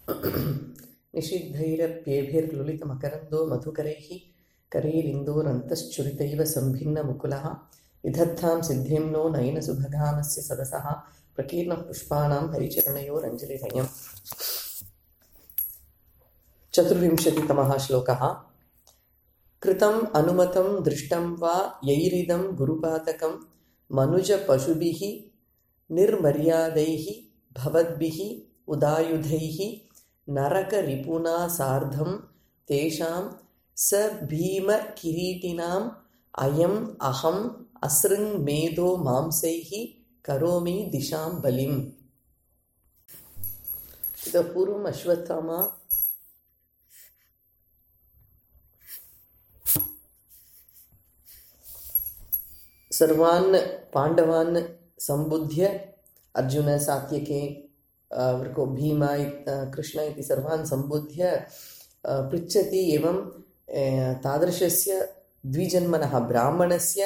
निषिद्धैरप्येभिर्लुलितमकरन्दो मधुकरैः करैरिन्दोरन्तश्चुरितैव सम्भिन्नमुकुलः विधत्तां सिद्धिं नो नयनसुभगामस्य सदसः प्रकीर्णः पुष्पाणां हरिचरणयोरञ्जलिधयम्। 24तमः श्लोकः। कृतम् अनुमतं दृष्टं वा यैरिदं गुरुपातकं मनुजपशुभिः निर्मर्यादैः भवद्भिः उदायुधैः नरकरिपुना सार्धं तेषां स भीमकिरीटिनाम् अयम् अहम् असृङ्मेधो मांसैः करोमि दिशां बलिम्। इतः पूर्वम् अश्वत्थामा सर्वान् पाण्डवान् सम्बुध्य अर्जुन सात्यके भीम कृष्ण इति सर्वान् सम्बुध्य पृच्छति एवं तादृशस्य द्विजन्मनः ब्राह्मणस्य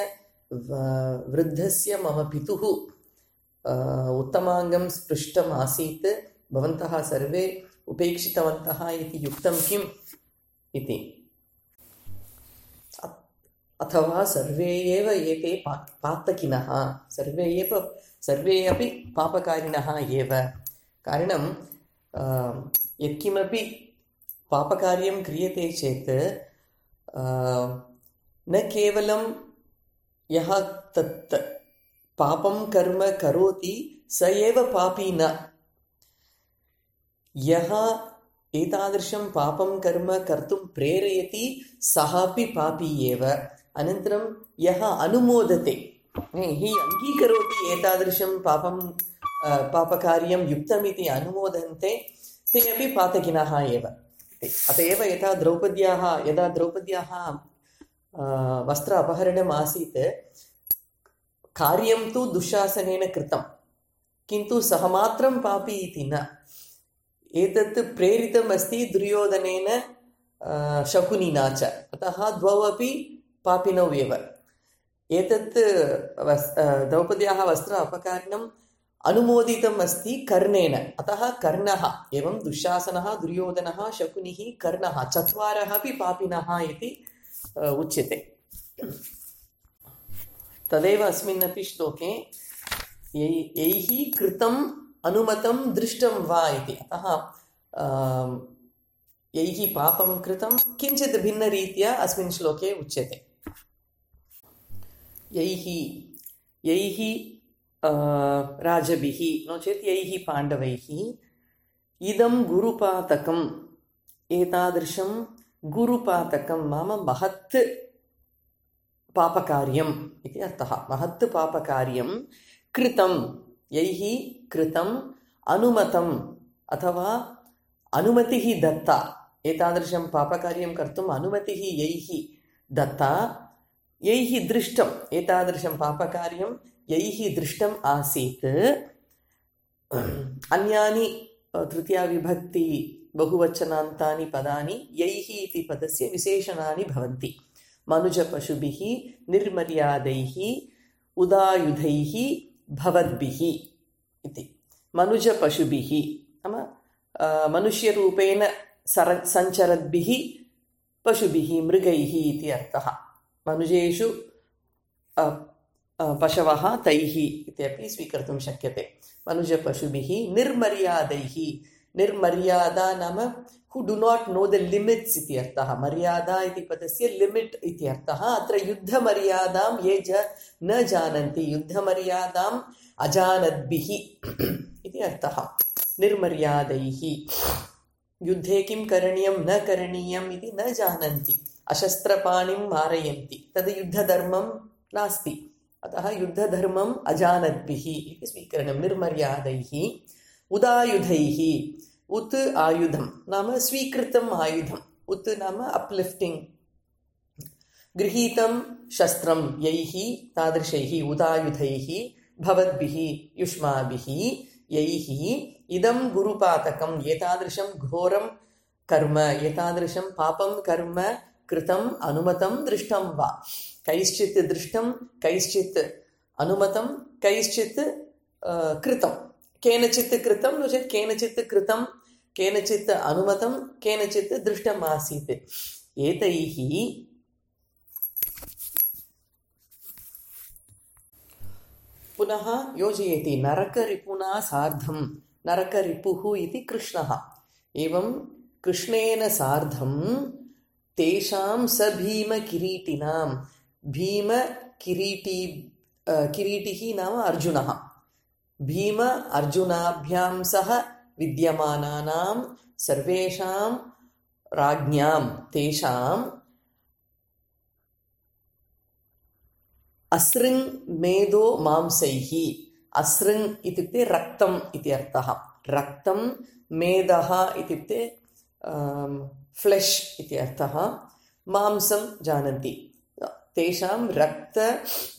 वृद्धस्य मम पितुः उत्तमाङ्गं स्पृष्टम् आसीत्, भवन्तः सर्वे उपेक्षितवन्तः इति युक्तं किम् इति। अथवा सर्वे एव एते पातकिनः, सर्वे अपि पापकारिणः एव। कारणं यत्किमपि पापकार्यं क्रियते चेत् न केवलं यः तत् पापं कर्म करोति स एव पापी न, यः एतादृशं पापं कर्म कर्तुं प्रेरयति सः अपि पापी एव। अनन्तरं यः अनुमोदते, हि अङ्गीकरोति एतादृशं पापकार्यं युक्तमिति अनुमोदन्ते, ते अपि पातकिनः एव। अत एव यदा द्रौपद्याः वस्त्र अपहरणम् आसीत्, कार्यं तु दुःशासनेन कृतं, किन्तु सः मात्रं पापी इति न। एतत् प्रेरितम् अस्ति दुर्योधनेन शकुनिना च, अतः द्वौ अपि पापिनौ एव। एतत् द्रौपद्याः वस्त्र अपहरणम् अनुमोदितम् अस्ति कर्णेन, अतः कर्णः एवं दुःशासनः, दुर्योधनः, शकुनिः, कर्णः चत्वारः अपि पापिनः इति उच्यते। तदेव अस्मिन्नपि श्लोके यैः कृतम् अनुमतं दृष्टं वा इति। अतः यैः पापं कृतं किञ्चित् भिन्नरीत्या अस्मिन् श्लोके उच्यते। यैः राजभिः नो चेत् यैः पाण्डवैः इदं गुरुपातकम्, एतादृशं गुरुपातकं नाम महत् पापकार्यम् इति अर्थः। महत् पापकार्यं कृतं, यैः कृतम् अनुमतम् अथवा अनुमतिः दत्ता, एतादृशं पापकार्यं कर्तुम् अनुमतिः यैः दत्ता, यैः दृष्टम्, एतादृशं पापकार्यं यैः दृष्टम् आसीत्। अन्यानि तृतीया विभक्ति बहुवचनान्तानि पदानि यैः इति पदस्य विशेषणानि भवन्ति। मनुजपशुभिः निर्मर्यादैः उदायुधैः भवद्भिः इति। मनुजपशुभिः नाम मनुष्यरूपेण सञ्चरद्भिः, पशुभिः मृगैः इति अर्थः। मनुजेषु पशवः तैः इत्यपि स्वीकर्तुं शक्यते। मनुजपशुभिः निर्मर्यादैः, निर्मर्यादा नाम हु डु नाट् नो द लिमिट्स् इति अर्थः। मर्यादा इति पदस्य लिमिट् इति अर्थः। अत्र युद्धमर्यादां ये न जानन्ति, युद्धमर्यादाम् अजानद्भिः इति अर्थः। निर्मर्यादैः युद्धे किं करणीयं न करणीयम् इति न जानन्ति, अशस्त्रपाणिं मारयन्ति, तद् युद्धधर्मं नास्ति। अतः युद्धधर्मम् अजानद्भिः इति स्वीकरणं। निर्मर्यादैः उदायुधैः, उत् आयुधं नाम स्वीकृतम् आयुधम्, उत् नाम अप्लिफ्टिङ्ग्, गृहीतं शस्त्रं यैः तादृशैः उदायुधैः भवद्भिः युष्माभिः यैः इदं गुरुपातकम्, एतादृशं घोरं कर्म, एतादृशं पापं कर्म कृतम् अनुमतं दृष्टं वा। कैश्चित् दृष्टं, कैश्चित् अनुमतं, कैश्चित् कृतं, केनचित् कृतं नो चेत् केनचित् कृतं केनचित् अनुमतं केनचित् दृष्टम् आसीत्। एतैः पुनः योजयति नरकरिपुना सार्धं। नरकरिपुः इति कृष्णः। एवं कृष्णेन सार्धं तेषां सभीमकिरीटिनां, किरीटिः नाम अर्जुनः, भीम अर्जुनाभ्यां सह विद्यमानानां सर्वेषां राज्ञां तेषाम् असृङ् मेधो मांसैः। असृङ् इत्युक्ते रक्तम् इति अर्थः। रक्तं, मेधः इत्युक्ते फ्लेश् इति अर्थः। मांसं जानन्ति। तेषां रक्तमेधमांसैः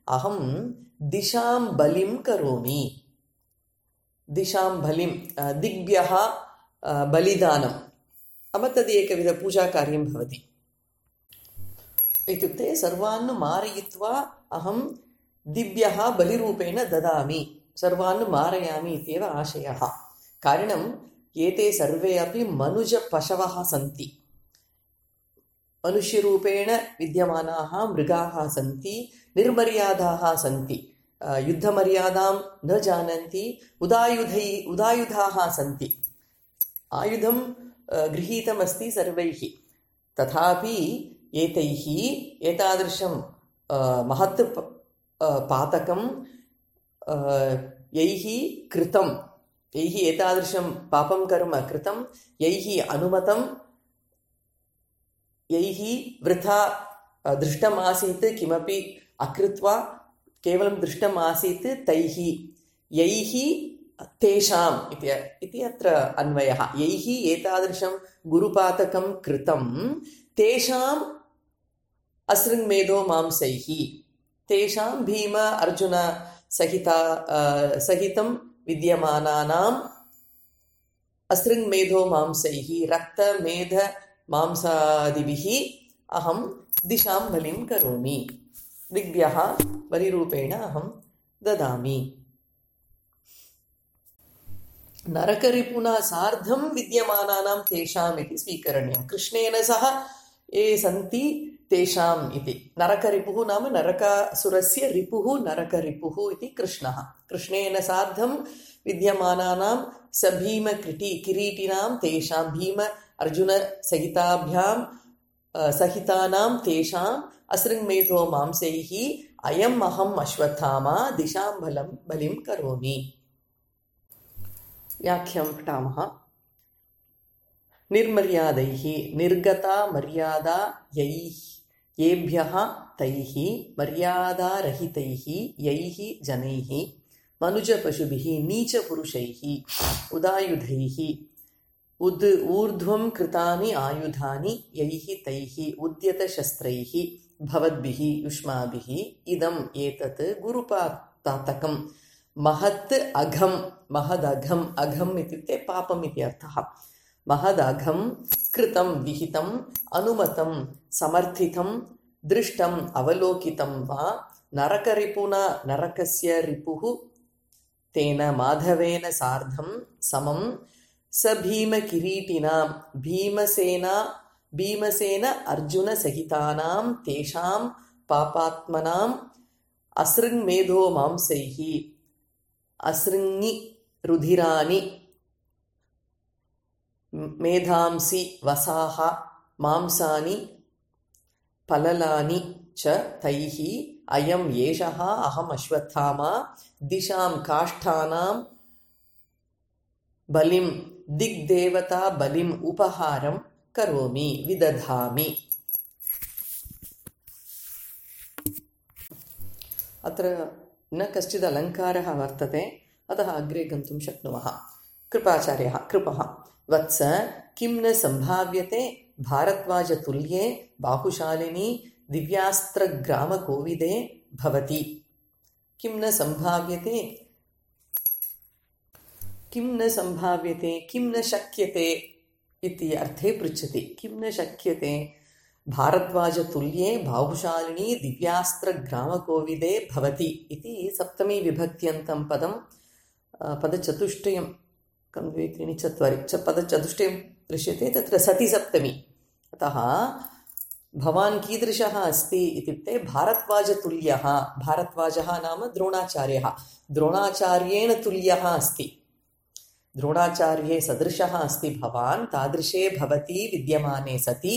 अहं दिशां बलिं करोमि। दिशां बलिं, दिग्भ्यः बलिदानं, नाम तदेकविधपूजाकार्यं भवति। इत्युक्ते सर्वान् मारयित्वा अहं दिव्यः बलिरूपेण ददामि, सर्वान् मारयामि इत्येव आशयः। कारणम् एते सर्वे अपि मनुजपशवः सन्ति। मनुष्यरूपेण विद्यमानाः मृगाः सन्ति, निर्मर्यादाः सन्ति, युद्धमर्यादां न जानन्ति, उदायुधाः सन्ति। आयुधं गृहीतमस्ति सर्वैः, तथापि एतैः एतादृशं महत् पातकं यैः कृतं, यैः एतादृशं पापं कर्म कृतं, यैः अनुमतं, यैः वृथा दृष्टमासीत्, किमपि अकृत्वा केवलं दृष्टमासीत्, तैः यैः तेषाम् इति अत्र अन्वयः। यैः एतादृशं गुरुपातकं कृतं तेषाम् असृङ्मेधो मांसैः, तेषां भीम अर्जुन सहितं विद्यमानानाम् असृङ्मेधो मांसैः, रक्तमेध मांसादिभिः अहं दिशां बलिं करोमि, दिग्भ्यः बलिरूपेण अहं ददामि। नरकरिपुना सार्धं विद्यमानानां तेषाम् इति स्वीकरणीयं। कृष्णेन सह ये सन्ति तेषाम् इति। नरकरिपुः नाम नरकासुरस्य रिपुः नरकरिपुः इति कृष्णः। कृष्णेन सार्धं विद्यमानानां सभीमकिरीटिनां तेषां, भीम अर्जुनसहितानां तेषाम् असृङ्मेधो मांसैः अयम् अहम् अश्वत्थामा दिशां बलिं करोमि। व्याख्यां पठामः। निर्मर्यादैः, निर्गता मर्यादा येभ्यः तैः, मर्यादारहितैः यैः जनैः, मनुजपशुभिः, नीचपुरुषैः, उदायुधैः, ऊर्ध्वं कृतानि आयुधानि यैः तैः, उद्यतशस्त्रैः भवद्भिः युष्माभिः, इदम् एतत् गुरुपातकं महत् अघं, महदघम्, अघम् इत्युक्ते पापम् इति अर्थः। महदघं कृतं विहितं अनुमतं समर्थितं दृष्टम् अवलोकितं वा नरकरिपुना, नरकस्य रिपुः तेन माधवेन सार्धं समं सभीमकिरीटिनां, भीमसेन अर्जुनसहितानां तेषां पापात्मनाम् असृङ्मेधो मांसैः, असृङि रुधिराणि, मेधांसि वसाः, मांसानि पललानि च तैः अयम् एषः अहम् अश्वत्थामा दिशां काष्ठानां बलिं, दिग्देवता बलिम् उपहारं करोमि, विदधामि। अत्र न कश्चित् अलङ्कारः वर्तते, अतः अग्रे गन्तुं शक्नुमः। कृपाचार्यः, कृपः वत्स किं न सम्भाव्यते भारद्वाजतुल्ये बाहुशालिनी दिव्यास्त्रग्रामकोविदे भवति। किं न सम्भाव्यते, किं न सम्भाव्यते, किं न शक्यते इति अर्थे पृच्छति। किं न शक्यते भारद्वाजतुल्ये बाहुशालिनी दिव्यास्त्रग्रामकोविदे भवति इति सप्तमी विभक्त्यन्तं पदचतुष्टयं एकं द्वे त्रीणि चत्वारि पदचतुष्टयं दृश्यते तत्र सति सप्तमी अतः भवान् कीदृशः अस्ति इत्युक्ते भारद्वाजतुल्यः भारद्वाजः नाम द्रोणाचार्यः द्रोणाचार्येण तुल्यः अस्ति द्रोणाचार्ये सदृशः अस्ति भवान् तादृशे भवति विद्यमाने सति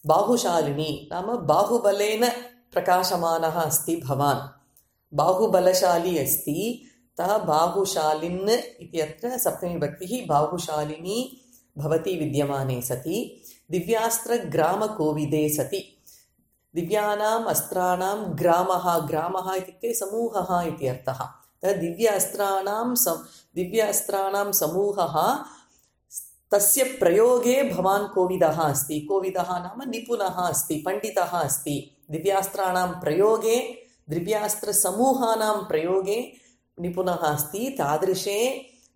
बाहुशालिनी नाम बाहुबलेन प्रकाशमानः अस्ति भवान् बाहुबलशाली अस्ति तः बाहुशालिन् इत्यत्र सप्तमी विभक्तिः बाहुशालिनी भवति विद्यमाने सति दिव्यास्त्रग्रामकोविदे सति दिव्यानाम् अस्त्राणां ग्रामः ग्रामः इत्युक्ते समूहः इति अर्थः दिव्यास्त्राणां समूहः तस्य प्रयोगे भवान् कोविदः अस्ति कोविदः नाम निपुणः अस्ति पण्डितः अस्ति दिव्यास्त्राणां प्रयोगे दिव्यास्त्रसमूहानां प्रयोगे निपुणः अस्ति तादृशे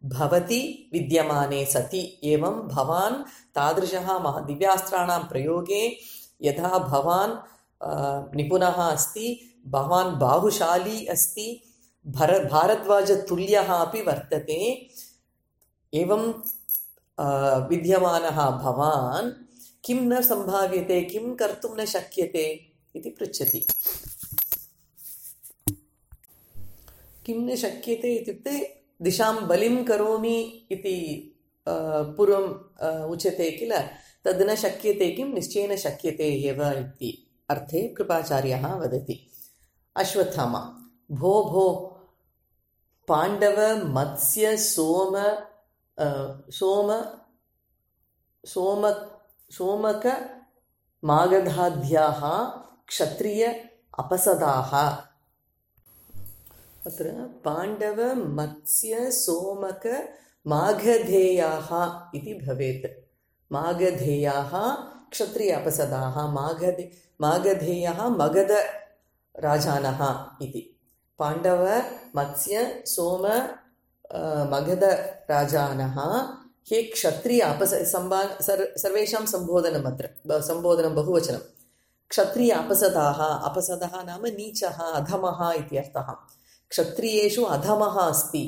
भवति विद्यमाने सति एवं भवान् तादृशः दिव्यास्त्राणां प्रयोगे यथा भवान् निपुणः अस्ति भवान् बाहुशाली अस्ति भारद्वाजतुल्यः अपि वर्तते एवं विद्यमानः भवान् किं न सम्भाव्यते किं कर्तुं न शक्यते इति पृच्छति किं न शक्यते इत्युक्ते दिशां बलिं करोमि इति पूर्वम् उच्यते किल तद् न शक्यते किं निश्चयेन शक्यते एव इति अर्थे कृपाचार्यः वदति अश्वत्थामा भो पाण्डव मत्स्य सोमक मागधाद्याः क्षत्रिय अपसदाः अत्र पाण्डव मत्स्य सोमक मागधेयाः इति भवेत् मागधेयाः क्षत्रिय अपसदाः मागधेयः मगधराजानः इति पाण्डव मत्स्य सोम मगधराजानः हे क्षत्रिय सर्वेषां सम्बोधनम् अत्र सम्बोधनं बहुवचनं क्षत्रिय अपसदाः अपसदः नाम नीचः अधमः इति अर्थः क्षत्रियेषु अधमः अस्ति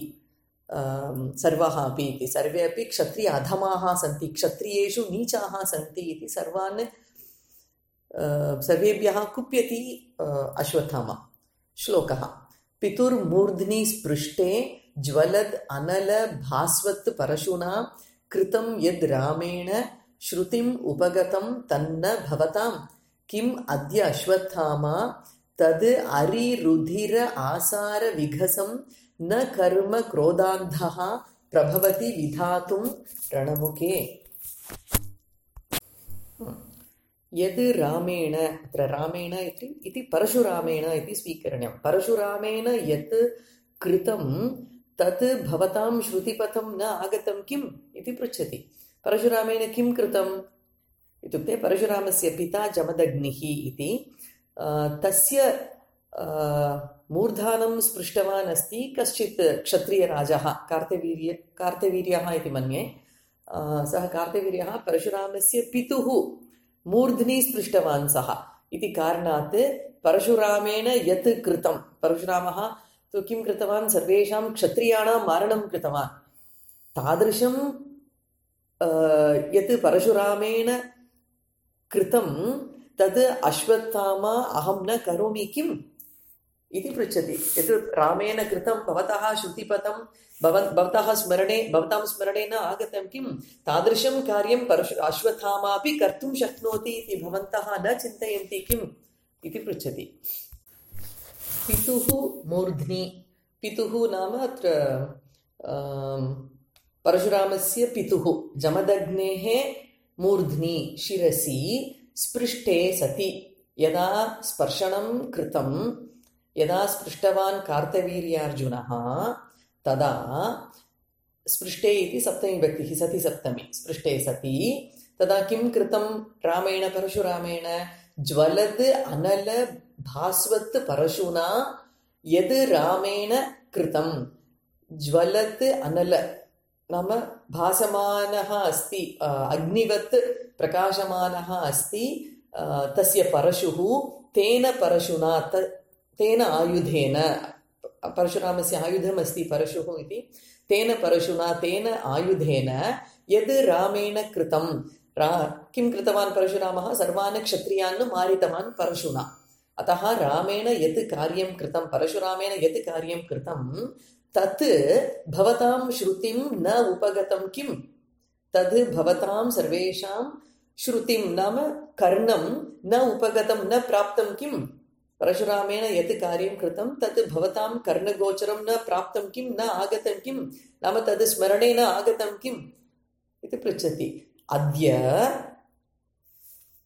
सर्वः अपि इति सर्वे अपि क्षत्रिय अधमाः सन्ति क्षत्रियेषु नीचाः सन्ति इति सर्वेभ्यः कुप्यति अश्वत्थामा श्लोकः पितुर्मूर्ध्नि स्पृष्टे ज्वलद् अनल भास्वत् परशुना कृतं यद् रामेण श्रुतिम् उपगतं तन्न भवतां किम् अद्य अश्वत्थामा तद् अरिरुधिर आसार विघसं न कर्म क्रोधान्धः प्रभवति विधातुं रणमुखे यद् रामेण अत्र रामेण इति परशुरामेण इति स्वीकरणीयं परशुरामेण यत् कृतं तत् भवतां श्रुतिपथं न आगतं किम् इति पृच्छति परशुरामेण किं कृतम् इत्युक्ते परशुरामस्य पिता जमदग्निः इति तस्य मूर्धानं स्पृष्टवान् अस्ति कश्चित् क्षत्रियराजः कार्तवीर्यः इति मन्ये सः कार्तवीर्यः परशुरामस्य पितुः मूर्ध्नि स्पृष्टवान् सः इति कारणात् परशुरामेण यत् कृतं परशुरामः तु किं कृतवान् सर्वेषां क्षत्रियाणां मारणं कृतवान् तादृशं यत् परशुरामेण कृतं तद् अश्वत्थामा अहं न करोमि किम् इति पृच्छति यत् रामेण कृतं भवतः श्रुतिपथं भवतां स्मरणे न आगतं किं तादृशं कार्यं अश्वत्थामा अपि कर्तुं शक्नोति इति भवन्तः न चिन्तयन्ति किम् इति पृच्छति पितुः मूर्ध्नि पितुः नाम अत्र परशुरामस्य पितुः जमदग्नेः मूर्ध्नि शिरसि स्पृष्टे सति यदा स्पर्शनं कृतं यदा स्पृष्टवान् कार्तवीर्यार्जुनः तदा स्पृष्टे इति सप्तमी विभक्तिः सति सप्तमी स्पृष्टे सति तदा किं कृतं रामेण परशुरामेण ज्वलद् अनल भास्वत् परशुना यद् रामेण कृतं ज्वलद् अनल नाम भासमानः अस्ति अग्निवत् प्रकाशमानः अस्ति तस्य परशुः तेन परशुना तेन आयुधेन परशुरामस्य आयुधमस्ति परशुः इति, तेन परशुना तेन आयुधेन यद् रामेण कृतं, किं कृतवान् परशुरामः? सर्वान् क्षत्रियान् मारितवान् परशुना. अतः रामेण यत् कार्यं कृतं, परशुरामेण यत् कार्यं कृतं तत् भवतां श्रुतिं न उपगतं किम्? तद् भवतां सर्वेषां श्रुतिं नाम कर्णं न उपगतं, न प्राप्तं किम्? परशुरामेण यत् कार्यं कृतं तत् भवतां कर्णगोचरं न प्राप्तं किं, न आगतं किं, नाम तद् स्मरणे न आगतं किम् इति पृच्छति. अद्य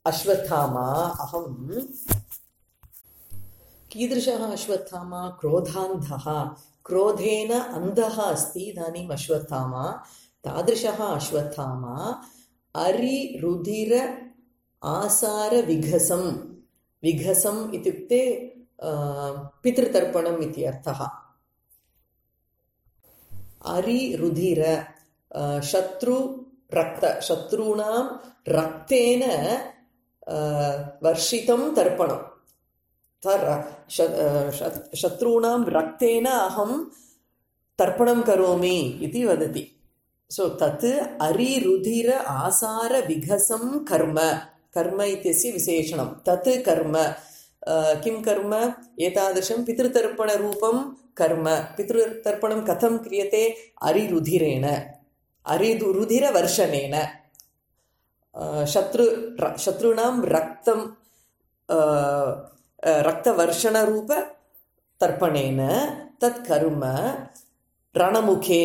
अश्वत्थामा अहं कीदृशः अश्वत्थामा? क्रोधान्धः, क्रोधेन अन्धः अस्ति इदानीम् अश्वत्थामा. तादृशः अश्वत्थामा अरिरुधिर आसार विघसं. विघसम् इत्युक्ते पितृतर्पणम् इति अर्थः. अरिरुधिर शत्रूणां रक्तेन वर्षितं तर्पणं. शत्रूणां रक्तेन अहं तर्पणं करोमि इति वदति. सो तत् अरिरुधिर आसार विघसं कर्म. कर्म इत्यस्य विशेषणं तत् कर्म. किं कर्म? एतादृशं पितृतर्पणरूपं कर्म. पितृतर्पणं कथं क्रियते? अरिरुधिरेण, अरिरुधिरवर्षणेन. शत्रूणां रक्तं रक्तवर्षणरूपतर्पणेन तत् कर्म रणमुखे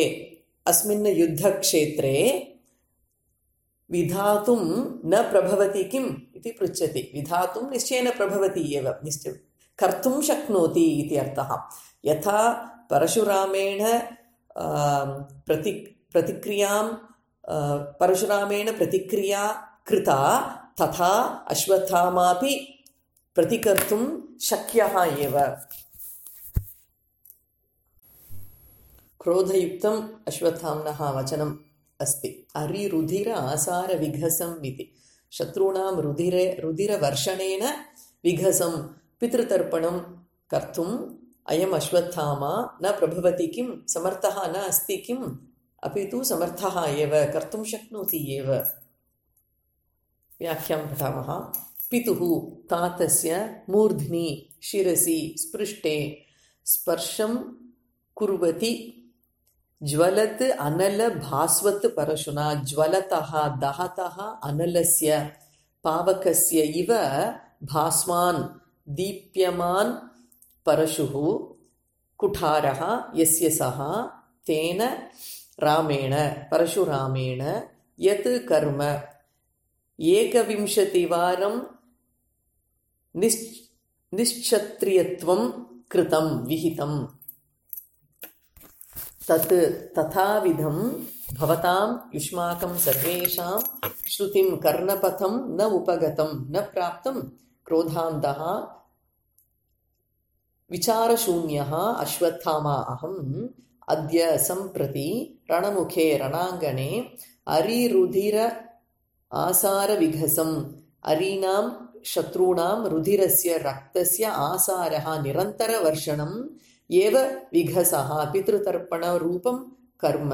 अस्मिन् युद्धक्षेत्रे विधातुं न प्रभवति किम् इति पृच्छति. विधातुं निश्चयेन प्रभवति एव, कर्तुं शक्नोति इति अर्थः. यथा परशुरामेण प्रतिक्रिया कृता तथा अश्वत्थामापि प्रतिकर्तुं शक्यः एव. क्रोधयुक्तम् अश्वत्थाम्नः वचनम् अस्ति. अरिरुधिर आसार विघसम् इति. शत्रूणां रुधिरवर्षणेन विघसं पितृतर्पणं कर्तुम् अयम् अश्वत्थामा न प्रभवति किं? समर्थः न अस्ति किम्? अपि तु समर्थः एव, कर्तुं शक्नोति एव. व्याख्यां पठामः. पितुः तातस्य मूर्ध्नि शिरसि स्पृष्टे स्पर्शं कुर्वति ज्वलत् अनल भास्वत् परशुना. ज्वलतः दहतः अनलस्य पावकस्य इव भास्वान् दीप्यमान् परशुः कुठारः यस्य सः तेन रामेण परशुरामेण यत् कर्म 21 वारं निश्क्षत्रियत्वं कृतं विहितम्. तत् तथाविधं भवतां युष्माकं सर्वेषां श्रुतिं कर्णपथं न उपगतं न प्राप्तं. क्रोधान्धः विचारशून्यः अश्वत्थामा अहम् अद्य सम्प्रति रणमुखे रणाङ्गणे अरिरुधिर आसार विघसम्. अरीणां शत्रूणां रुधिरस्य रक्तस्य आसारः निरन्तरवर्षणम् एव विघसः पितृतर्पणरूपं कर्म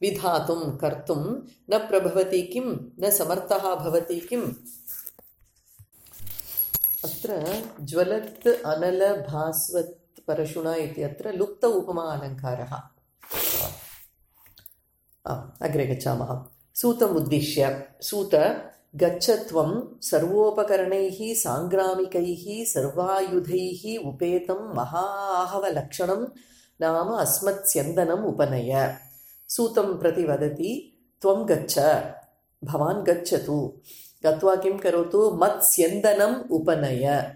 विधातुं कर्तुं न प्रभवति किं? न समर्थः भवति किम्? अत्र ज्वलत् अनल भास्वत् परशुना इत्यत्र लुप्त उपमा अलङ्कारः. अग्रे गच्छामः. सूतमुद्दिश्य. सूत गच्छ त्वं सर्वोपकरणैः साङ्ग्रामिकैः सर्वायुधैः उपेतं महाहवलक्षणं नाम अस्मत्स्यन्दनम् उपनय. सूतं प्रति वदति त्वं गच्छ, भवान् गच्छतु. गत्वा किं करोतु? मत्स्यन्दनम् उपनय.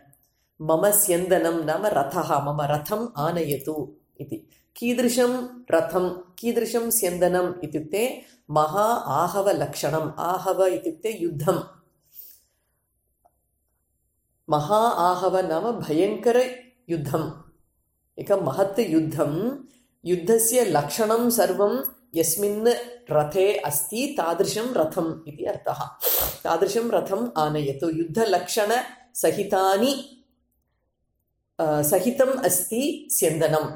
मम स्यन्दनं नाम रथः, मम रथम् आनयतु इति. कीदृशं रथं, कीदृशं स्यन्दनम् इत्युक्ते महा आहवलक्षणम्. आहव इत्युक्ते युद्धं. महा आहव नाम भयङ्करयुद्धम्. एकं महत् युद्धं. युद्धस्य लक्षणं सर्वं यस्मिन् रथे अस्ति तादृशं रथम् इति अर्थः. तादृशं रथम् आनयतु. युद्धलक्षणसहितम् अस्ति स्यन्दनम्.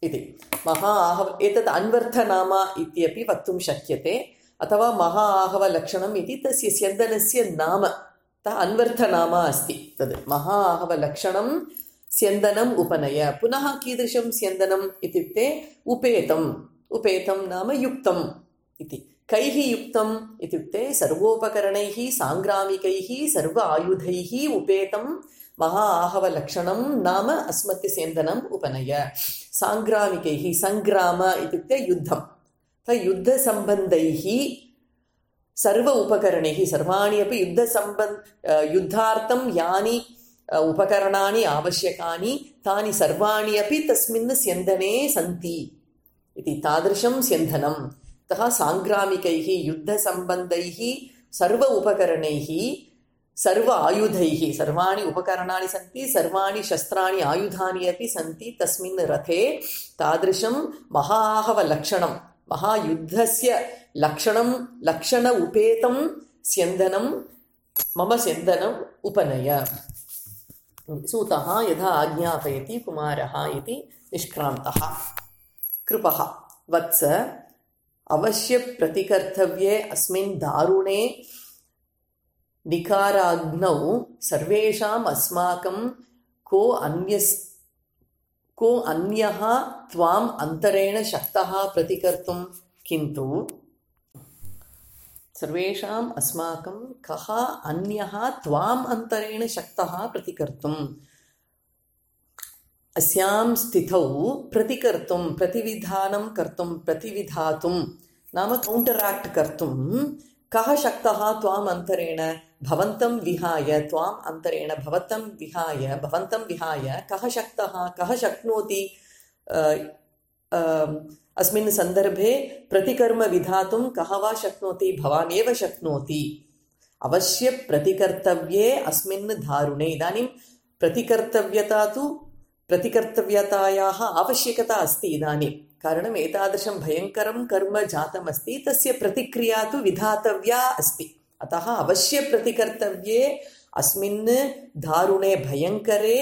इति महा आहव एतत् अन्वर्थनामा इत्यपि वक्तुं शक्यते अथवा महा आहवलक्षणम् इति तस्य स्यन्दनस्य नाम अन्वर्थनामा अस्ति तद् महा आहवलक्षणं स्यन्दनम् उपनय पुनः कीदृशं स्यन्दनम् इत्युक्ते उपेतं नाम युक्तम् इति कैः युक्तम् इत्युक्ते सर्वोपकरणैः साङ्ग्रामिकैः सर्व आयुधैः उपेतं महा आहवलक्षणं नाम अस्मत् स्यन्दनम् उपनय साङ्ग्रामिकैः सङ्ग्राम इत्युक्ते युद्धं युद्धसम्बन्धैः सर्व उपकरणैः सर्वाणि अपि युद्धार्थं यानि उपकरणानि आवश्यकानि तानि सर्वाणि अपि तस्मिन् स्यन्दने सन्ति इति तादृशं स्यन्दनम् अतः साङ्ग्रामिकैः युद्धसम्बन्धैः सर्व उपकरणैः सर्व आयुधैः सर्वाणि उपकरणानि सन्ति सर्वाणि शस्त्राणि आयुधानि अपि सन्ति तस्मिन् रथे तादृशं महा आहवलक्षणं महायुद्धस्य लक्षण उपेतं स्यन्दनं मम स्यन्दनम् उपनय सूतः यथा आज्ञापयति कुमारः इति निष्क्रान्तः कृपः वत्स अवश्य प्रतिकर्तव्ये अस्मिन् दारुणे निकाराग्नौ सर्वेषाम् अस्माकं को अन्यः त्वाम् अन्तरेण शक्तः प्रतिकर्तुं किन्तु सर्वेषाम् अस्माकं कः अन्यः त्वाम् अन्तरेण शक्तः प्रतिकर्तुम् अस्यां स्थितौ प्रतिकर्तुं प्रतिविधातुं नाम कौण्टराक्ट् कर्तुं कः शक्तः त्वाम् अन्तरेण भवन्तं विहाय त्वाम् अन्तरेण भवन्तं विहाय कः शक्तः कः शक्नोति अस्मिन् सन्दर्भे प्रतिकर्म विधातुं कः वा शक्नोति भवान् एव शक्नोति अवश्य प्रतिकर्तव्ये अस्मिन् दारुणे इदानीं प्रतिकर्तव्यतायाः आवश्यकता अस्ति इदानीं कारणम् एतादृशं भयङ्करं कर्म जातमस्ति तस्य प्रतिक्रिया तु विधातव्या अस्ति अतः अवश्य प्रतिकर्तव्ये अस्मिन् दारुणे भयङ्करे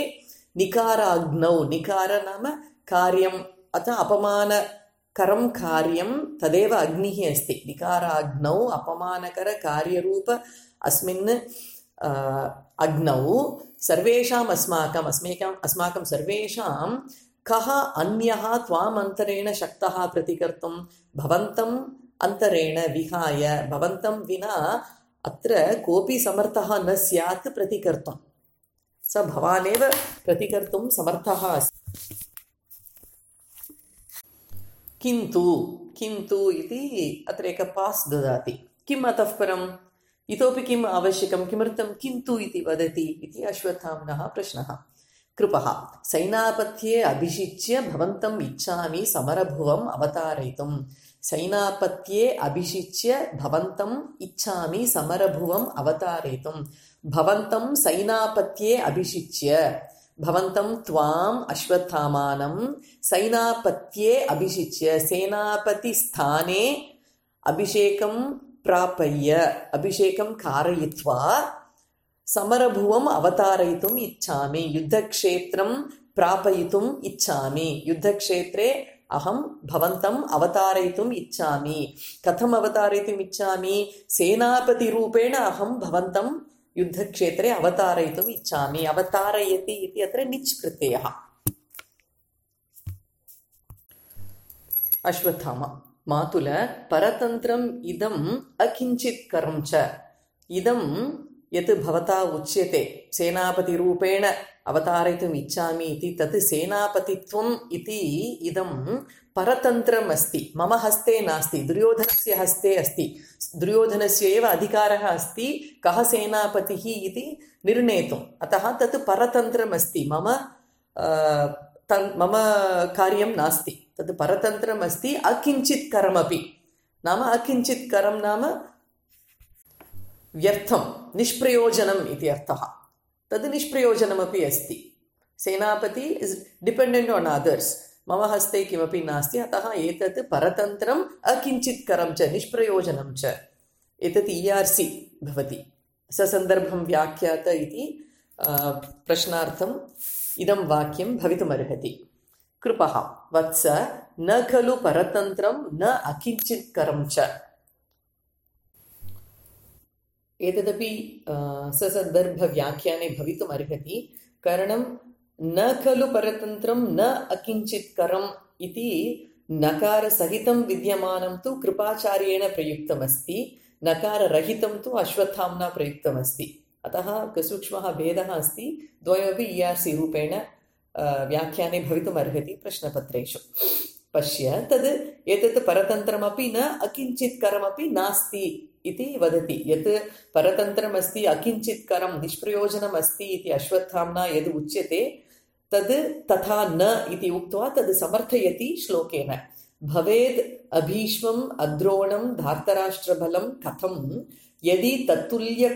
निकाराग्नौ निकार नाम कार्यम् अतः अपमानकरं कार्यं तदेव अग्निः अस्ति निकाराग्नौ अपमानकरकार्यरूप अस्मिन् अग्नौ सर्वेषाम् अस्माकं सर्वेषां कः अन्यः त्वाम् अन्तरेण शक्तः प्रतिकर्तुं भवन्तम् अन्तरेण विहाय भवन्तं विना अत्र कोऽपि समर्थः न स्यात् प्रतिकर्तुं स भवानेव प्रतिकर्तुं समर्थः अस्ति किन्तु इति अत्र एक पास् ददाति किम् अतः परम् इतोपि किम् आवश्यकं किमर्थं किन्तु इति वदति इति अश्वत्थाम्नः प्रश्नः कृपः सैनापत्ये अभिषिच्य भवन्तम् इच्छामि समरभुवम् अवतारयितुं सैनापत्ये अभिषिच्य भवन्तम् इच्छामि समरभुवम् अवतारयितुं भवन्तं सैनापत्ये अभिषिच्य भवन्तं त्वाम् अश्वत्थामानं सैनापत्ये अभिषिच्य सेनापतिस्थाने अभिषेकं प्रापय्य अभिषेकं कारयित्वा समरभुवम् अवतारयितुम् इच्छामि युद्धक्षेत्रं प्रापयितुम् इच्छामि युद्धक्षेत्रे अहं भवन्तम् अवतारयितुम् इच्छामि कथम् अवतारयितुम् इच्छामि सेनापतिरूपेण अहं भवन्तं युद्धक्षेत्रे अवतारयितुम् इच्छामि अवतारयति इति अत्र निच् प्रत्ययः अश्वत्थामा मातुल परतन्त्रम् इदम् अकिञ्चित्करं च इदं यत् भवता उच्यते सेनापतिरूपेण अवतारयितुम् इच्छामि इति तत् सेनापतित्वम् इति इदं परतन्त्रम् अस्ति मम हस्ते नास्ति दुर्योधनस्य हस्ते अस्ति दुर्योधनस्य एव अधिकारः अस्ति कः सेनापतिः इति निर्णेतुम् अतः तत् परतन्त्रम् अस्ति मम कार्यं नास्ति तत् परतन्त्रम् अस्ति अकिञ्चित्करमपि नाम अकिञ्चित्करं नाम व्यर्थं निष्प्रयोजनम् इति अर्थः तद् निष्प्रयोजनमपि अस्ति सेनापति इस् डिपेण्डेण्ट् आन् अदर्स् मम हस्ते किमपि नास्ति अतः एतत् परतन्त्रम् अकिञ्चित्करं च निष्प्रयोजनं च एतत् ERC भवति ससन्दर्भं व्याख्यात इति प्रश्नार्थम् इदं वाक्यं भवितुमर्हति कृपः वत्स न खलु परतन्त्रं न अकिञ्चित्करं च। एतदपि ससन्दर्भव्याख्याने भवितुम् अर्हति। कारणं न खलु परतन्त्रं न अकिञ्चित्करम् इति नकारसहितं विद्यमानं तु कृपाचार्येण प्रयुक्तमस्ति, नकाररहितं तु अश्वत्थाम्ना प्रयुक्तमस्ति। अतः सूक्ष्मः भेदः अस्ति। द्वयोपि ERC रूपेण व्याख्याने भवितुम् अर्हति प्रश्नपत्रेषु। पश्य तद् एतत् परतन्त्रमपि न अकिञ्चित्करमपि नास्ति इति वदति। यत् परतन्त्रमस्ति, अकिञ्चित्करं निष्प्रयोजनम् अस्ति इति अश्वत्थाम्ना यद् उच्यते तद् तथा न इति उक्त्वा तद् समर्थयति श्लोकेन। भवेद् अभीष्मम् अद्रोणं धार्तराष्ट्रबलं कथं यदि तत्तुल्य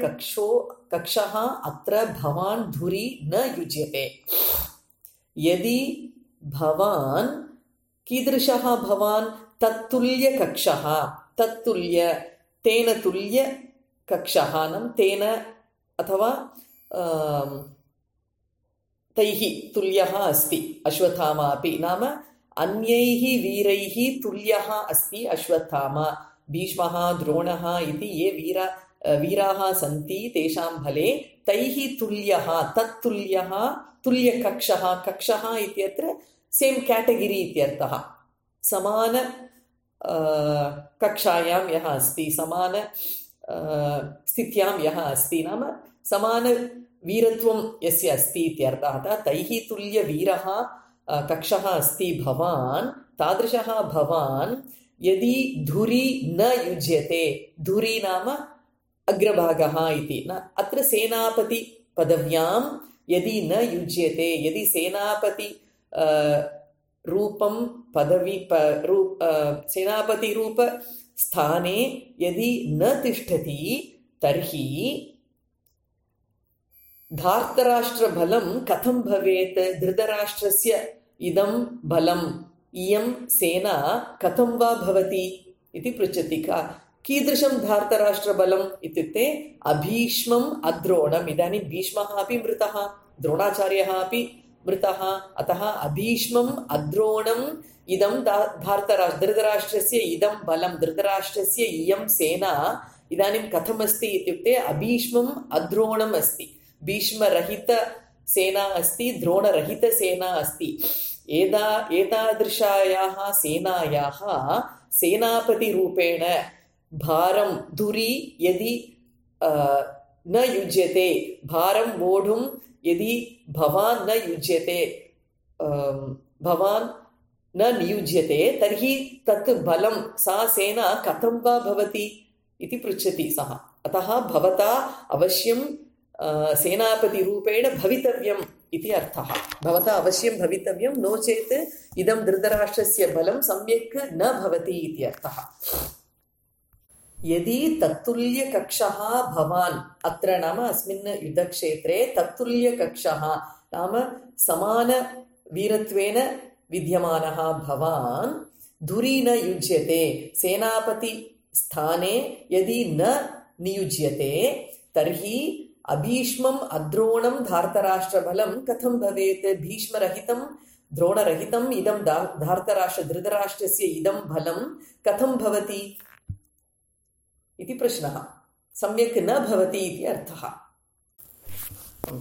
कक्षः अत्र भवान् धुरि न युज्यते। यदि भवान् कीदृशः भवान् तत्तुल्य कक्षः, तत्तुल्य तेन तुल्य कक्षः नाम तेन अथवा तैः तुल्यः अस्ति अश्वत्थामा अपि, नाम अन्यैः वीरैः तुल्यः अस्ति अश्वत्थामा। भीष्मः द्रोणः इति ये वीराः सन्ति तेषां बले तैः तुल्यः, तत्तुल्यः तुल्यकक्षः। कक्षः इत्यत्र सेम् कैटेगरी इत्यर्थः। समान कक्षायां यः अस्ति, समान स्थित्यां यः अस्ति, नाम समान वीरत्वं यस्य अस्ति इत्यर्थः। तैः तुल्यवीरः कक्षः अस्ति भवान्, तादृशः भवान् यदि धुरि न युज्यते, धुरि नाम अग्रभागः इति न, अत्र सेनापति पदव्यां यदि न युज्यते, यदि सेनापति रूपं पदवी सेनापति रूप स्थाने यदि न तिष्ठति तर्हि धार्तराष्ट्रबलं कथं भवेत्? धृतराष्ट्रस्य इदं बलम्, इयं सेना कथं वा भवति इति पृच्छति। कीदृशं धार्तराष्ट्रबलम् इत्युक्ते अभीष्मम् अद्रोणम्। इदानीं भीष्मः अपि मृतः, द्रोणाचार्यः अपि मृतः, अतः अभीष्मम् अद्रोणम् इदं धृतराष्ट्रस्य इदं बलं, धृतराष्ट्रस्य इयं सेना इदानीं कथमस्ति इत्युक्ते अभीष्मम् अद्रोणम् अस्ति। भीष्मरहित सेना अस्ति, द्रोणरहित सेना अस्ति। एतादृशायाः सेनायाः सेनापतिरूपेण भारं धुरि यदि न युज्यते, भारं वोढुं यदि भवान् न युज्यते, भवान् न नियुज्यते तर्हि तत् बलं, सा सेना कथं वा भवति इति पृच्छति सः। अतः भवता अवश्यं सेनापतिरूपेण भवितव्यम् इति अर्थः। भवता अवश्यं भवितव्यं, नो चेत् इदं धृतराष्ट्रस्य बलं सम्यक् न भवति इति अर्थः। यदि तत्तुल्यकक्षः भवान्, अत्र नाम अस्मिन् युद्धक्षेत्रे तत्तुल्यकक्षः नाम समानवीरत्वेन विद्यमानः भवान् धुरि न युज्यते, सेनापति स्थाने यदि न नियुज्यते तर्हि अभीष्मम् अद्रोणं धार्तराष्ट्रबलं कथं भवेत्? भीष्मरहितं द्रोणरहितम् इदं धृतराष्ट्रस्य इदं बलं कथं भवति इति प्रश्नः। सम्यक् न भवति इति अर्थः।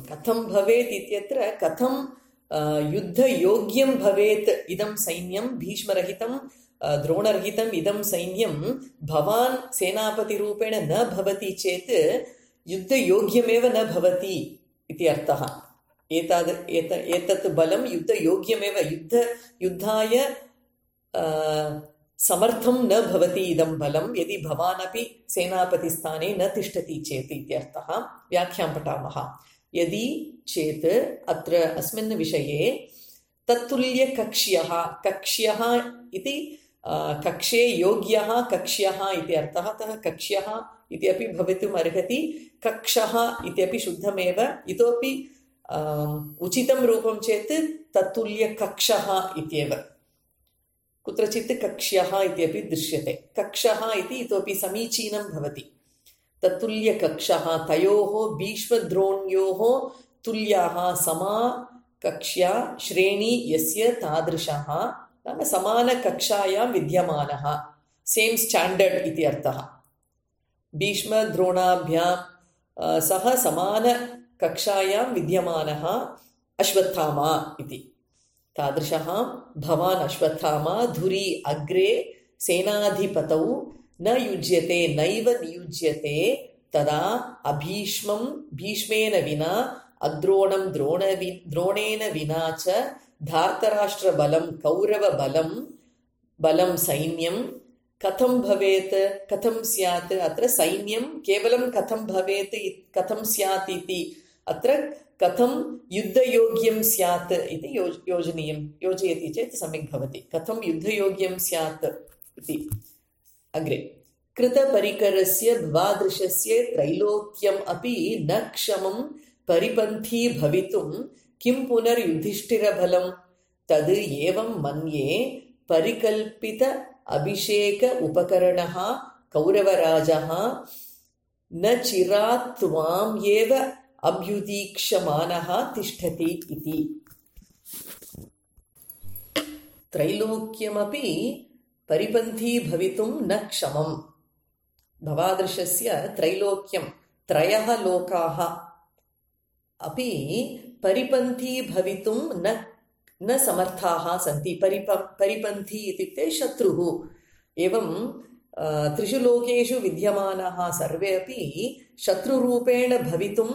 कथं भवेत् इत्यत्र कथं युद्धयोग्यं भवेत् इदं सैन्यं, भीष्मरहितं द्रोणरहितम् इदं सैन्यं भवान् सेनापतिरूपेण न भवति चेत् युद्धयोग्यमेव न भवति इति अर्थः। एतत् बलं युद्धयोग्यमेव, युद्धाय समर्थं न भवति इदं बलं यदि भवान् अपि सेनापतिस्थाने न तिष्ठति चेत् इत्यर्थः। व्याख्यां पठामः। यदि चेत् अत्र अस्मिन् विषये तत्तुल्यकक्ष्यः, कक्ष्यः इति कक्षे योग्यः कक्ष्यः इति अर्थः। अतः कक्ष्यः इति अपि भवितुम् अर्हति, कक्षः इत्यपि शुद्धमेव। इतोपि उचितं रूपं चेत् तत्तुल्यकक्षः इत्येव। कुत्रचित् कक्ष्यः इत्यपि दृश्यते। कक्षः इति इतोपि समीचीनं भवति। तत्तुल्यकक्षः, तयोः भीष्मद्रोण्योः तुल्याः कक्ष्या श्रेणी यस्य तादृशः नाम समानकक्षायां विद्यमानः सेम् स्टाण्डर्ड् इति अर्थः भीष्मद्रोणाभ्यां सह समानकक्षायां विद्यमानः अश्वत्थामा इति तादृशः भवान् अश्वत्थामा धुरी अग्रे सेनाधिपतौ न युज्यते नैव नियुज्यते तदा अभीष्मं भीष्मेन विना अद्रोणं द्रोणेन विना च धार्तराष्ट्रबलं कौरवबलं बलं सैन्यं कथं भवेत् कथं स्यात् अत्र सैन्यं केवलं कथं भवेत् कथं स्यात् इति अत्र कथं युद्धयोग्यं स्यात् इति योजयति चेत् सम्यक् भवति कथं युद्धयोग्यं स्यात् इति अग्रे कृतपरिकरस्य भवादृशस्य त्रैलोक्यम् अपि न क्षमं परिपन्थी भवितुं किं पुनर्युधिष्ठिरबलं तद् एवं मन्ये परिकल्पित अभिषेक उपकरणः कौरवराजः न चिरात् त्वाम् एव अभ्युदीक्षमानः तिष्ठति इति त्रैलोक्यमपि परिपन्थी भवितुं न क्षमम् भवादृशस्य त्रैलोक्यं त्रयः लोकाः अपि परिपन्थी भवितुं न समर्थाः सन्ति परिपन्थी इत्युक्ते शत्रुः एवं त्रिषु लोकेषु विद्यमानाः सर्वे अपि शत्रुरूपेण भवितुं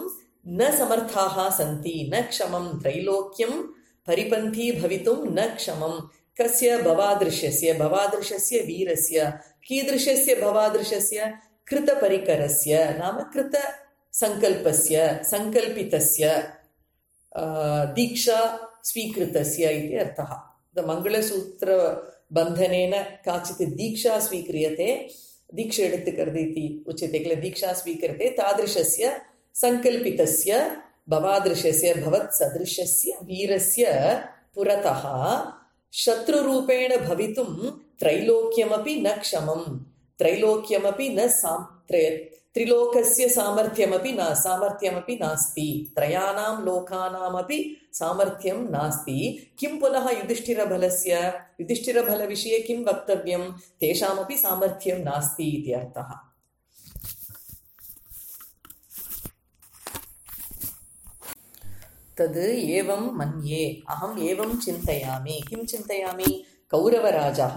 न समर्थाः सन्ति न क्षमं त्रैलोक्यं परिपन्थी भवितुं न क्षमं कस्य भवादृशस्य वीरस्य कीदृशस्य भवादृशस्य कृतपरिकरस्य नाम कृतसङ्कल्पस्य सङ्कल्पितस्य दीक्षा स्वीकृतस्य इति अर्थः मङ्गलसूत्रबन्धनेन काचित् दीक्षा स्वीक्रियते दीक्षा एडुत्तुक्करदु इति उच्यते किल दीक्षा स्वीक्रियते तादृशस्य सङ्कल्पितस्य भवादृशस्य भवत्सदृशस्य वीरस्य पुरतः शत्रुरूपेण भवितुं त्रैलोक्यमपि न क्षमं त्रैलोक्यमपि न त्रिलोकस्य सामर्थ्यमपि नास्ति त्रयाणां लोकानामपि सामर्थ्यं नास्ति किं पुनः युधिष्ठिरबलविषये किं वक्तव्यं तेषामपि सामर्थ्यं नास्ति इति अर्थः तद् एवं मन्ये अहम् एवं चिन्तयामि किं चिन्तयामि कौरवराजः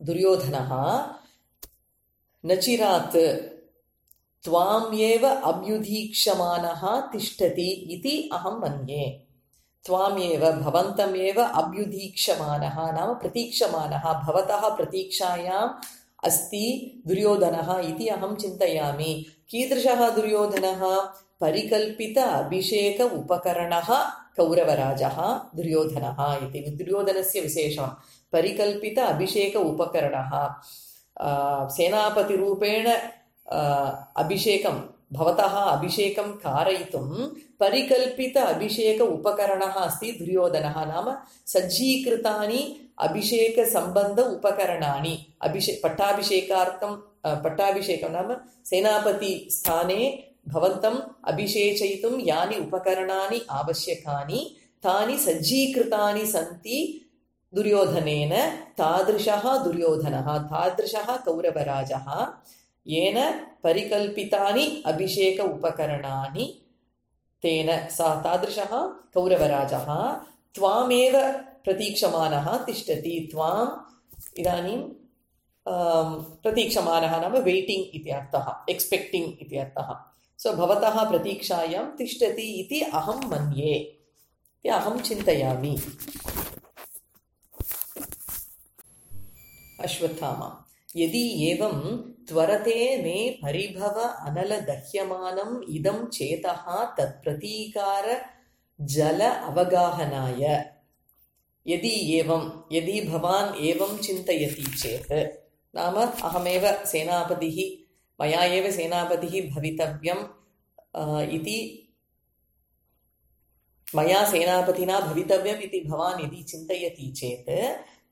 दुर्योधनः नचिरात् त्वाम् एव अभ्युदीक्षमानः तिष्ठति इति अहं मन्ये त्वामेव भवन्तमेव अभ्युदीक्षमानः नाम प्रतीक्षमानः भवतः प्रतीक्षायाम् अस्ति दुर्योधनः इति अहं चिन्तयामि कीदृशः दुर्योधनः परिकल्पित अभिषेक उपकरणः कौरवराजः दुर्योधनः इति दुर्योधनस्य विशेषं परिकल्पित अभिषेक उपकरणः सेनापतिरूपेण अभिषेकं भवतः अभिषेकं कारयितुं परिकल्पित अभिषेक उपकरणः अस्ति दुर्योधनः नाम सज्जीकृतानि अभिषेक सम्बन्ध उपकरणानि पट्टाभिषेकं नाम सेनापति स्थाने भवन्तम् अभिषेचयितुं यानि उपकरणानि आवश्यकानि तानि सज्जीकृतानि सन्ति दुर्योधनेन तादृशः दुर्योधनः तादृशः कौरवराजः येन परिकल्पितानि अभिषेक उपकरणानि तेन तादृशः कौरवराजः त्वामेव प्रतीक्षमानः तिष्ठति त्वाम् इदानीं प्रतीक्षमानः नाम वेटिङ्ग् इति अर्थः एक्स्पेक्टिङ्ग् इति अर्थः सो भवतः प्रतीक्षायां तिष्ठति इति अहं मन्ये इति अहं चिन्तयामि अश्वत्थामा यदि एवं त्वरते मे परिभव अनलदह्यमानम् इदं चेतः तत्प्रतीकार जल अवगाहनाय यदि भवान् एवं चिन्तयति चेत् नाम अहमेव सेनापतिः मया एव सेनापतिः भवितव्यम् इति मया सेनापतिना भवितव्यम् इति भवान् यदि चिन्तयति चेत्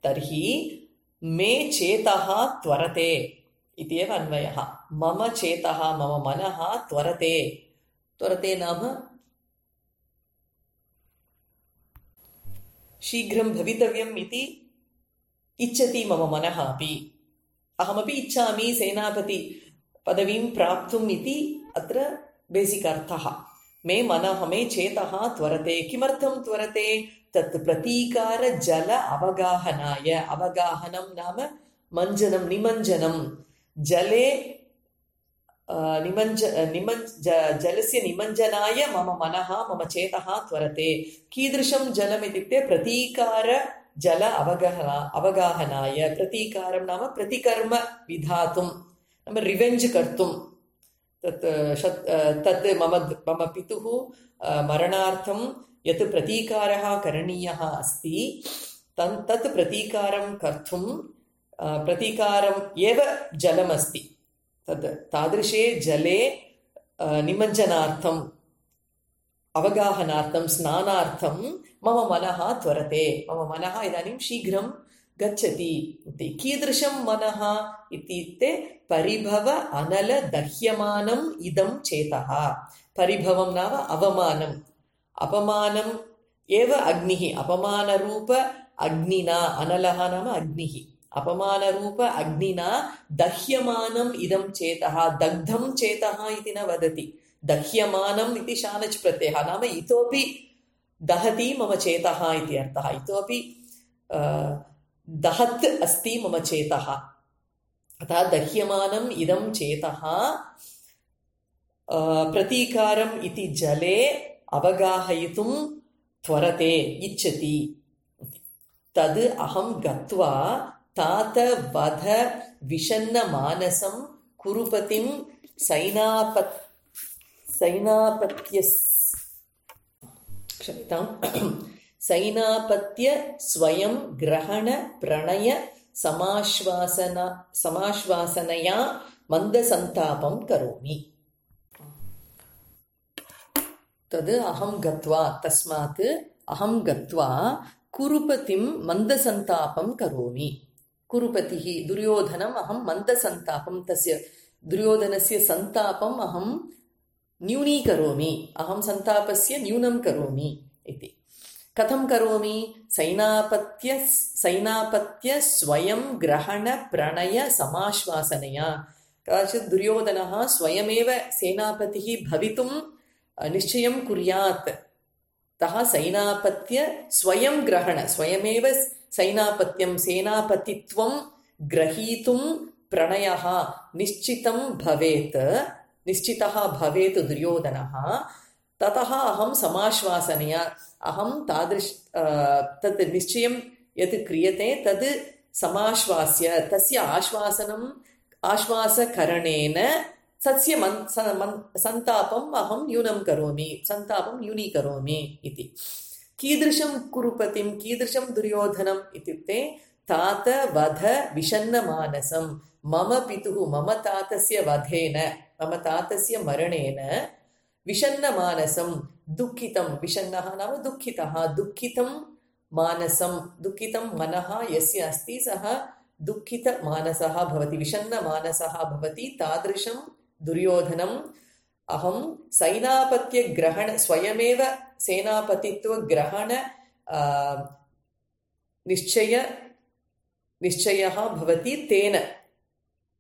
तर्हि मे चेतः त्वरते इत्येव अन्वयः मम चेतः मम मनः त्वरते नाम शीघ्रं भवितव्यम् इति इच्छति मम मनः अपि। अहमपि इच्छामि सेनापति पदवीं प्राप्तुम् इति अत्र बेसिक् अर्थः। मे मनः मे चेतः त्वरते। किमर्थं त्वरते? तत् प्रतीकार जल अवगाहनाय। अवगाहनं नाम मञ्जनं, निमञ्जनं। जले जलस्य निमञ्जनाय मम मनः मम चेतः त्वरते। कीदृशं जलम् इत्युक्ते प्रतीकार जल अवगाहनाय। प्रतीकारं नाम प्रतिकर्म विधातुं, नाम रिवेञ्ज् कर्तुं। तत् मम पितुः मरणार्थं यत् प्रतीकारः करणीयः अस्ति, तत् प्रतीकारं कर्तुं प्रतीकारम् एव जलमस्ति। तादृशे जले निमज्जनार्थम्, अवगाहनार्थं, स्नानार्थं मम मनः त्वरते। मम मनः इदानीं शीघ्रं गच्छति इति। कीदृशं मनः इत्युक्ते परिभव अनल दह्यमानम् इदं चेतः। परिभवं नाम अवमानम्। अपमानम् एव अग्निः। अपमानरूप अग्निना, अनलः नाम अग्निः, अपमानरूप अग्निना दह्यमानम् इदं चेतः। दग्धं चेतः इति न वदति। दह्यमानम् इति शानच् प्रत्ययः, नाम इतोपि दहति मम चेतः इति अर्थः। इतोपि दहत् अस्ति मम चेतः। अतः दह्यमानम् इदं चेतः प्रतीकारम् इति जले अवगाहयितुं त्वरते, इच्छति। तद् अहं गत्वा तात वध विषन्न मानसं कुरुपतिं सैनापत्य स्वयं ग्रहण प्रणय समाश्वासनया मन्दसन्तापं करोमि। तद् अहं गत्वा, तस्मात् अहं गत्वा कुरुपतिं मन्दसन्तापं करोमि। कुरुपतिः दुर्योधनम् अहं मन्दसन्तापं, तस्य दुर्योधनस्य सन्तापम् अहं न्यूनीकरोमि। अहं सन्तापस्य न्यूनं करोमि इति। कथं करोमि? सैनापत्य स्वयं ग्रहण प्रणय समाश्वासनया। कदाचित् दुर्योधनः स्वयमेव सेनापतिः भवितुं निश्चयं कुर्यात्। तः सैनापत्य स्वयं ग्रहण, स्वयमेव सैनापत्यं, सेनापतित्वं ग्रहीतुं प्रणयः निश्चितः भवेत् दुर्योधनः। ततः अहं समाश्वासनया, अहं तत् निश्चयं यत् क्रियते तद् समाश्वास्य, तस्य आश्वासकरणेन तस्य सन्तापम् अहं सन्तापं न्यूनीकरोमि इति। कीदृशं कुरुपतिं, कीदृशं दुर्योधनम् इत्युक्ते तात वध विषन्नमानसं। मम पितुः, मम तातस्य वधेन, मम तातस्य मरणेन विषन्नमानसं, दुःखितं, विषन्नः नाम दुःखितः, दुःखितं मानसं, दुःखितं मनः यस्य अस्ति सः दुःखितमानसः भवति, विषन्नमानसः भवति। तादृशं दुर्योधनम् अहं सैनापत्यग्रहण, स्वयमेव सेनापतित्वग्रहण निश्चयः भवति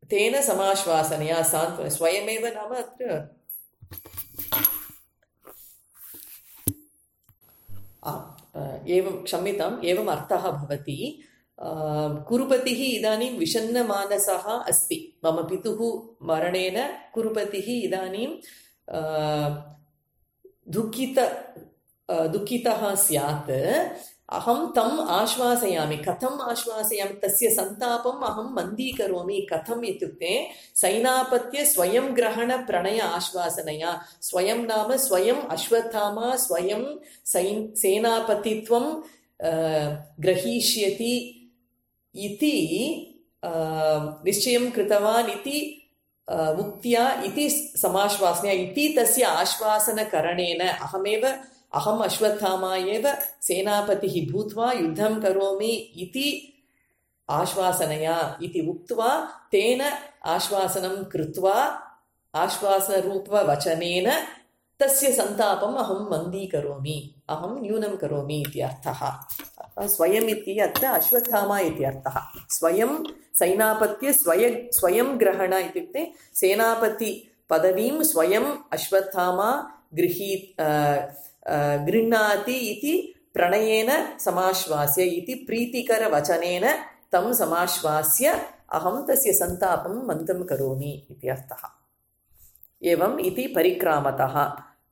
तेन समाश्वासनया सान्त्वना। स्वयमेव नाम अत्र एवं, क्षम्यताम्, एवम् अर्थः भवति। कुरुपतिः इदानीं विषन्नमानसः अस्ति। मम पितुः मरणेन कुरुपतिः इदानीं दुःखितः स्यात्। अहं तम् आश्वासयामि। कथम् आश्वासयामि? तस्य सन्तापम् अहं मन्दीकरोमि। कथम् इत्युक्ते सैनापत्य स्वयं ग्रहण प्रणय आश्वासनया। स्वयं नाम स्वयम् अश्वत्थामा स्वयं सेनापतित्वं ग्रहीष्यति इति निश्चयं कृतवान् इति उक्त्या, इति समाश्वासनया, इति तस्य आश्वासनकरणेन अहम् अश्वत्थामा एव सेनापतिः भूत्वा युद्धं करोमि इति आश्वासनया इति उक्त्वा, तेन आश्वासनं कृत्वा आश्वासनरूपवचनेन तस्य सन्तापम् अहं मन्दीकरोमि, अहं न्यूनं करोमि इति अर्थः। स्वयम् इति अत्र अश्वत्थामा इति अर्थः। स्वयं सैनापत्य स्वयं ग्रहण इत्युक्ते सेनापति पदवीं स्वयम् अश्वत्थामा गृह्णाति इति प्रणयेन समाश्वास्य इति प्रीतिकरवचनेन तं समाश्वास्य अहं तस्य सन्तापं मन्दं करोमि इति अर्थः। एवम् इति परिक्रामतः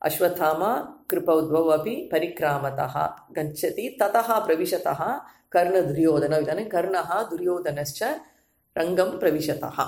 अश्वत्थामा कृपौ द्वौ अपि परिक्रामतः गच्छति। ततः प्रविशतः कर्णदुर्योधनौ। इदानीं कर्णः दुर्योधनश्च रङ्गं प्रविशतः।